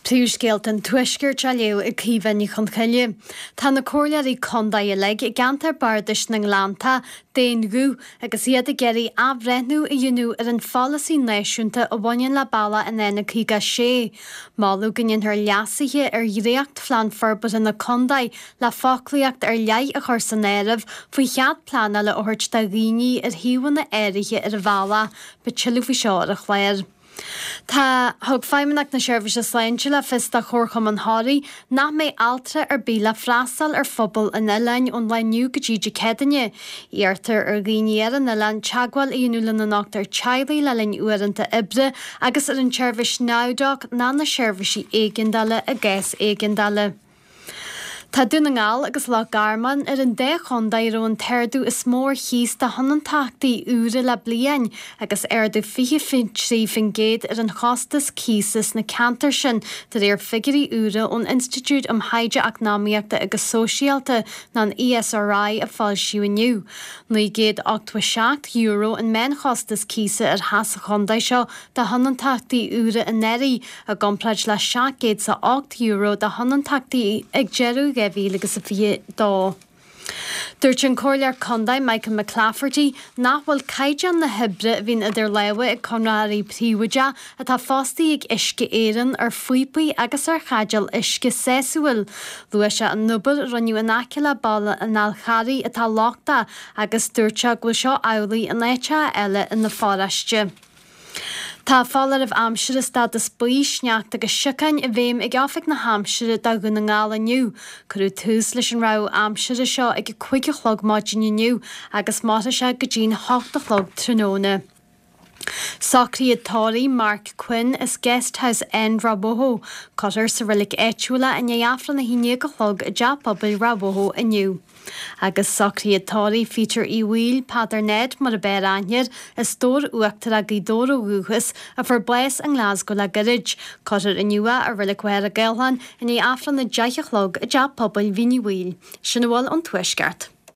Príomhscéalta an Tuaiscirt á léamh ag Caoimhe Ní Chonchoille. Tá na comhairleoirí contae uilig i gceantar bardais na nGleannta d'aon ghuth agus iad ag iarraidh athbhreithniú a dhéanamh ar an pholasaí náisiúnta a bhaineann le bealach an N56. Moladh go ndéanfar leasuithe ar dhréachtphlean forbartha na contae le foclaíocht ar leith a chur san áireamh faoi chead pleanála a thabhairt do dhaoine ar shuíomhanna áirithe ar an bhealach. Beidh tuilleadh faoi seo ar an chlár. Tá. Thug Feidhmeannacht na Seirbhíse Sláinte le fios do Chomharchumann Thoraí nach mbeidh altra ar bith le freastal ar phobal an oileáin ón lá inniu go dtí Dé Céadaoine. Iarrtar ar dhaoine ar an oileán teagmháil a dhéanamh lena ndochtúir teaghlaigh le linn uaireanta oibre agus ar an tseirbhís NowDoc ná na seirbhísí éigeandála i gcás éigeandála. Tá Dún na nGall agus Loch Garman ar an dá chontae a raibh an t-ardú is mó ar chíos do thionóntachtaí úra le bliain, agus ardú 23% ar an chostas cíosa sna ceantair sin, de réir figiúirí úra ón Institiúid um Thaighde Eacnamaíochta agus Sóisialta, nó an ESRI, a foilsíodh inniu. €987 an meánchostas cíosa ar theach sa chontae seo do thionóntachtaí úra anuraidh, i gcomparáid le €708 do thionóntachtaí ag deireadh 2022. Dúirt an Comhairleoir Contae Michael McClafferty nach bhfuil caighdeán na hoibre a bhíonn idir lámha ag conraitheoirí príobháideacha atá fostaithe ag Uisce Éireann ar phíopaí agus ar chaidéil uisce sásúil. Luaigh sé an obair a rinneadh in aice le Baile an Fháil Charraigh atá lochtach agus dúirt sé go bhfuil seo amhlaidh in áiteacha eile ina pharóiste. Tá foláireamh aimsire stádas buí, sneachta agus siocáin i bhfeidhm ag Oifig na hAimsire do Dhún na nGall inniu. Cuireadh tús leis an rabhadh aimsire seo ag a 5 a chlog maidin inniu agus mairfidh sé go dtí'n 8 a chlog tráthnóna. Socruithe tórraimh Mark Quinn as Guesthouse End, Ráth Bhoth. Cuirfear sa reilig áitiúil é i ndiaidh Aifreann 11 a chlog i dTeach Pobail Ráth Bhoth inniu. Agus socruithe tórraimh Pheter Uí Bhaoill, Peadar Ned mar ab fhearr aithne air, as Dobhar Uachtarach Gaoth Dobhair ó dhúchas, a fuair bás i nGlasgow le gairid. Cuirfear inniu é i Reilig Mhachaire Gathlán i ndiaidh Aifreann 10 a chlog i dTeach Pobail Mhín Uí Bhaoill. Sin a bhfuil ón Tuaisceart.